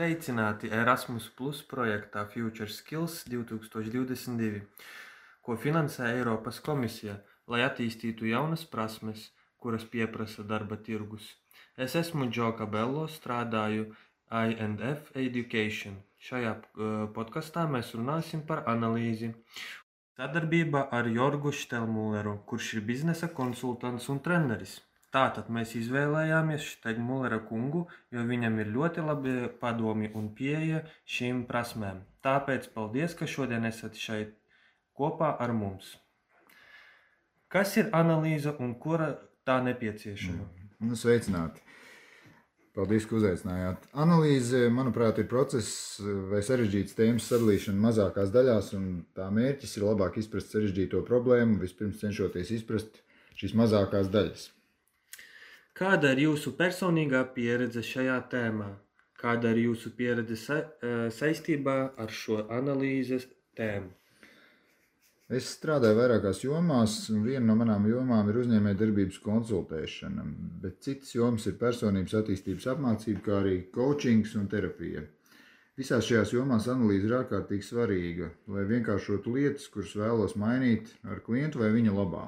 sveicināti Erasmus Plus projektā Future Skills 2022, ko finansē Eiropas komisija, lai attīstītu jaunas prasmes, kuras pieprasa darba tirgus. Es esmu Džo Cabello, strādāju I&F Education. Šajā podkastā mēs runāsim par analīzi. Sadarbība ar Jorgu Štelmulleru, kurš ir biznesa konsultants un treneris. Tātad mēs izvēlējāmies Štelmullera kungu, jo viņam ir ļoti labi padomi un pieeja šīm prasmēm. Tāpēc paldies, ka šodien esat šeit kopā ar mums. Kas ir analīze un kura tā nepieciešama? Sveicināti! Paldies, ka uzaicinājāt. Analīze, manuprāt, ir process vai sarežģītas tēmas sadalīšana mazākās daļās, un tā mērķis ir labāk izprast sarežģīto problēmu, vispirms cenšoties izprast šīs mazākās daļas. Kāda ir jūsu personīgā pieredze šajā tēmā? Kāda ir jūsu pieredze saistībā ar šo analīzes tēmu? Es strādāju vairākās jomās, un viena no manām jomām ir uzņēmējdarbības konsultēšana, bet citas jomas ir personības attīstības apmācība, kā arī coachings un terapija. Visās šajās jomās analīze ir ārkārtīgi svarīga, lai vienkāršotu lietas, kuras vēlos mainīt ar klientu vai viņa labā.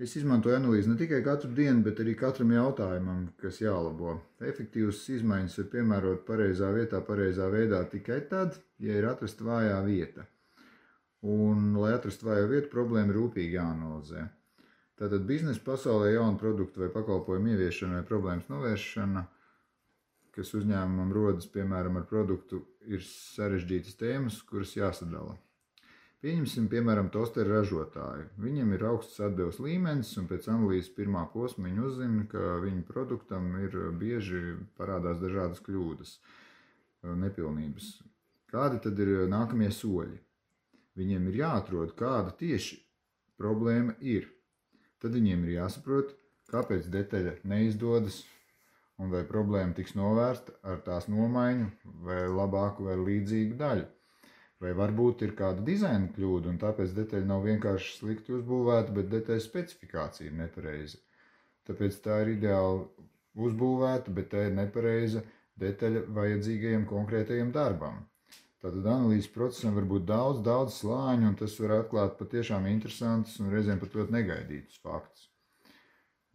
Es izmantoju analīzi ne tikai katru dienu, bet arī katram jautājumam, kas jālabo. Efektīvas izmaiņas var piemērot pareizā vietā, pareizā veidā tikai tad, ja ir atrasta vājā vieta. Un, lai atrastu vājo vietu, problēma rūpīgi jāanalizē. Tātad biznesa pasaulē jaunu produktu vai pakalpojumu ieviešana vai problēmas novēršana, kas uzņēmumam rodas, piemēram, ar produktu, ir sarežģītas tēmas, kuras jāsadala. Pieņemsim, piemēram, tosteru ražotāju. Viņam ir augsts atdevs līmenis, un pēc analīzes pirmā posma viņi uzzina, ka viņu produktam ir bieži parādās dažādas kļūdas, nepilnības. Kādi tad ir nākamie soļi? Viņiem ir jāatrod, kāda tieši problēma ir. Tad viņiem ir jāsaprot, kāpēc detaļa neizdodas, un vai problēma tiks novērsta ar tās nomaiņu vai labāku vai līdzīgu daļu. Vai varbūt ir kāda dizaina kļūda, un tāpēc detaļa nav vienkārši slikti uzbūvēta, bet detaļas specifikācija ir nepareiza. Tāpēc tā ir ideāli uzbūvēta, bet tā ir nepareiza detaļa vajadzīgajam konkrētajam darbam. Tātad analīzes procesam var būt daudz slāņu, un tas var atklāt patiešām interesantus un reizēm pat ļoti negaidītus faktus.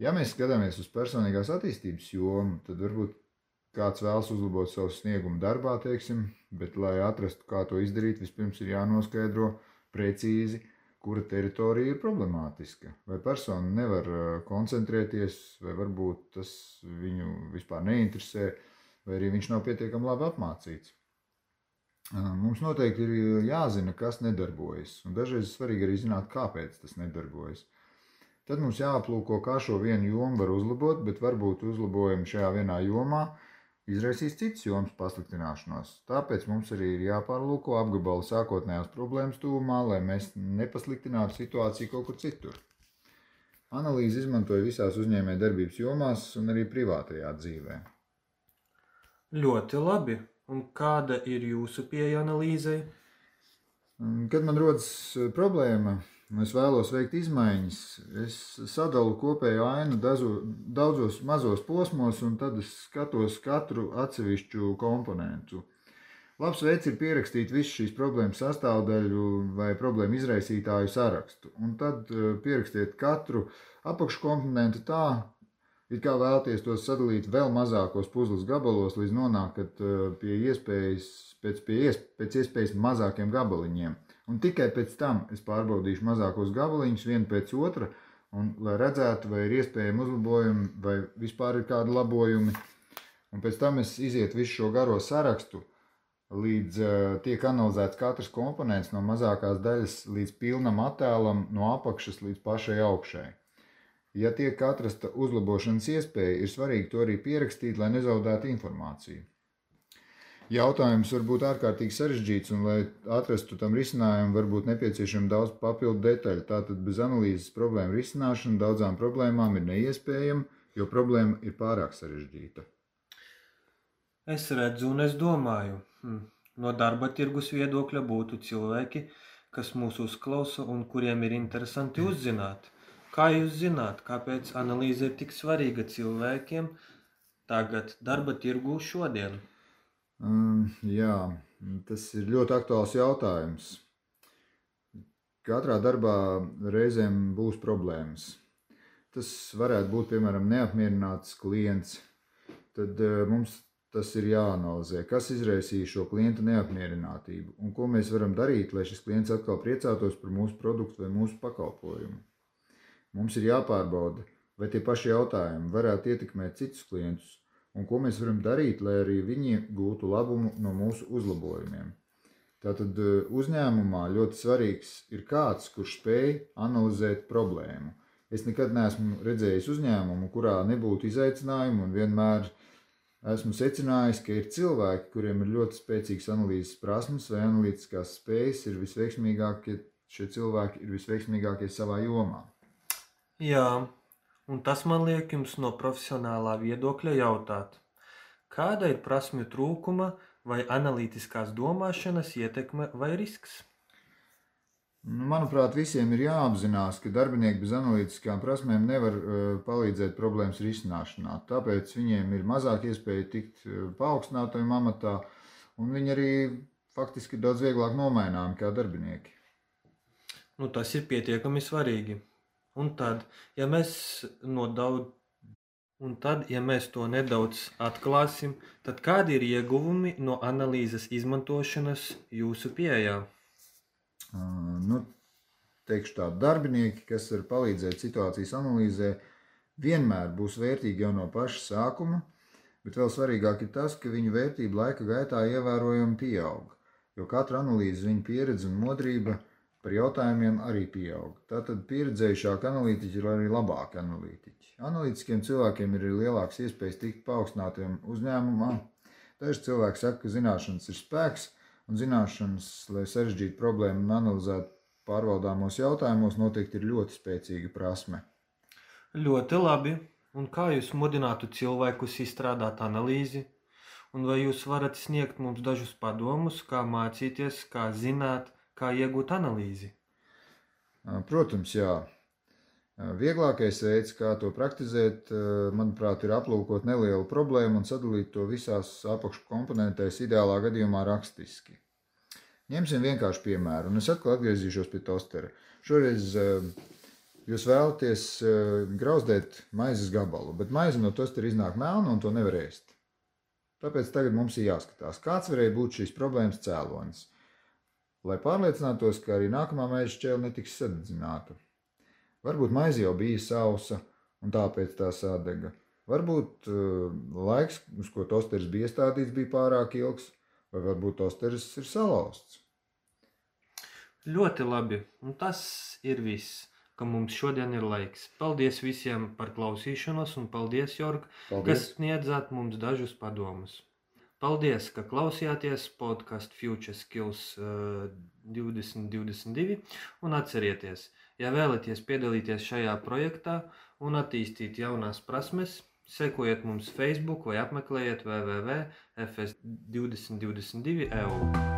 Ja mēs skatāmies uz personīgās attīstības jomu, tad varbūt kāds vēlas uzlabot savu sniegumu darbā, teiksim, bet, lai atrastu, kā to izdarīt, vispirms ir jānoskaidro precīzi, kura teritorija ir problemātiska. Vai persona nevar koncentrēties, vai varbūt tas viņu vispār neinteresē, vai arī viņš nav pietiekami labi apmācīts. Mums noteikti ir jāzina, kas nedarbojas, un dažreiz svarīgi arī zināt, kāpēc tas nedarbojas. Tad mums jāaplūko, kā šo vienu jomu var uzlabot, bet varbūt uzlabojumi šajā vienā jomā izraisīs citas jomas pasliktināšanos. Tāpēc mums arī ir jāpārlūko apgabala sākotnējās problēmas tuvumā, lai mēs nepasliktinātu situāciju kaut kur citur. Analīzi izmantoja visās uzņēmējdarbības jomās un arī privātajā dzīvē. Ļoti labi. Un kāda ir jūsu pieeja analīzei? Kad man rodas problēma, un es vēlos veikt izmaiņas, es sadalu kopējo ainu daudzos mazos posmos, un tad es skatos katru atsevišķu komponentu. Labs veids ir pierakstīt visu šīs problēmas sastāvdaļu vai problēmu izraisītāju sarakstu, un tad pierakstiet katru apakškomponentu tā, it kā vēlties tos sadalīt vēl mazākos puzles gabalos, līdz nonākat pie iespējas mazākiem gabaliņiem. Un tikai pēc tam es pārbaudīšu mazākos gabaliņus vienu pēc otra, un lai redzētu, vai ir iespējami uzlabojumi, vai vispār ir kādi labojumi. Un pēc tam es izietu visu šo garo sarakstu, līdz tiek analizēts katrs komponents no mazākās daļas līdz pilnam attēlam, no apakšas līdz pašai augšai. Ja tiek atrasta uzlabošanas iespēja, ir svarīgi to arī pierakstīt, lai nezaudētu informāciju. Jautājums var būt ārkārtīgi sarežģīts, un, lai atrastu tam risinājumu, var būt nepieciešama daudz papildu detaļu. Tātad bez analīzes problēmu risināšana daudzām problēmām ir neiespējama, jo problēma ir pārāk sarežģīta. Es redzu un es domāju, no darba tirgus viedokļa būtu cilvēki, kas mūs uzklausa un kuriem ir interesanti uzzināt. Kā jūs zināt, kāpēc analīze ir tik svarīga cilvēkiem tagad darba tirgū šodien? Jā, tas ir ļoti aktuāls jautājums. Katrā darbā reizēm būs problēmas. Tas varētu būt, piemēram, neapmierināts klients. Tad mums tas ir jāanalizē, kas izraisīja šo klienta neapmierinātību un ko mēs varam darīt, lai šis klients atkal priecātos par mūsu produktu vai mūsu pakalpojumu. Mums ir jāpārbauda, vai tie paši jautājumi varētu ietekmēt citus klientus un ko mēs varam darīt, lai arī viņi gūtu labumu no mūsu uzlabojumiem. Tātad uzņēmumā ļoti svarīgs ir kāds, kurš spēj analizēt problēmu. Es nekad neesmu redzējis uzņēmumu, kurā nebūtu izaicinājumu, un vienmēr esmu secinājis, ka ir cilvēki, kuriem ir ļoti spēcīgas analīzes prasmes vai analītiskās spējas, ir visveiksmīgākie, šie cilvēki ir visveiksmīgākie savā jomā. Jā, un tas man liek jums no profesionālā viedokļa jautāt, kāda ir prasmju trūkuma vai analītiskās domāšanas ietekme vai risks? Manuprāt, visiem ir jāapzinās, ka darbinieki bez analītiskām prasmēm nevar palīdzēt problēmas risināšanā. Tāpēc viņiem ir mazāk iespēja tikt paaugstinātajam amatā, un viņi arī faktiski ir daudz vieglāk nomaināmi kā darbinieki. Tas ir pietiekami svarīgi. Un tad, ja mēs to nedaudz atklāsim, tad kādi ir ieguvumi no analīzes izmantošanas jūsu pieejā? Teikšu tā, darbinieki, kas var palīdzēt situācijas analīzē, vienmēr būs vērtīgi jau no paša sākuma, bet vēl svarīgāk ir tas, ka viņu vērtība laika gaitā ievērojami pieaug, jo katra analīze, viņa pieredze un modrība par jautājumiem arī pieaug. Tātad pieredzējušāki analītiķi ir arī labāki analītiķi. Analītiskiem cilvēkiem ir lielāks iespējas tikt paaugstinātiem uzņēmumā. Daži cilvēki saka, ka zināšanas ir spēks, un zināšanas, lai sarežģītu problēmu un analizētu pārvaldāmos jautājumos, noteikti ir ļoti spēcīga prasme. Ļoti labi. Un kā jūs mudinātu cilvēkus izstrādāt analīzi? Un vai jūs varat sniegt mums dažus padomus, kā mācīties, kā zināt, kā iegūt analīzi? Protams, jā. Vieglākais veids, kā to praktizēt, manuprāt, ir aplūkot nelielu problēmu un sadalīt to visās apakškomponentēs, ideālā gadījumā rakstiski. Ņemsim vienkārši piemēru, un es atkal atgriezīšos pie tostera. Šoreiz jūs vēlaties grauzdēt maizes gabalu, bet maize no tostera iznāk melna un to nevar ēst. Tāpēc tagad mums ir jāskatās, kāds varēja būt šīs problēmas cēlonis, lai pārliecinātos, ka arī nākamā maizes šķēle netiks sadedzināta. Varbūt maize jau bija sausa un tāpēc tā sadega. Varbūt laiks, uz ko tosteris bija iestādīts, bija pārāk ilgs, vai varbūt tosteris ir salauzts. Ļoti labi, un tas ir viss, ka mums šodien ir laiks. Paldies visiem par klausīšanos, un paldies, Jorg, kas sniedzāt mums dažus padomus. Paldies, ka klausījāties podcastu Future Skills 2022, un atcerieties, ja vēlaties piedalīties šajā projektā un attīstīt jaunās prasmes, sekojiet mums Facebook vai apmeklējiet www.fs2022.eu.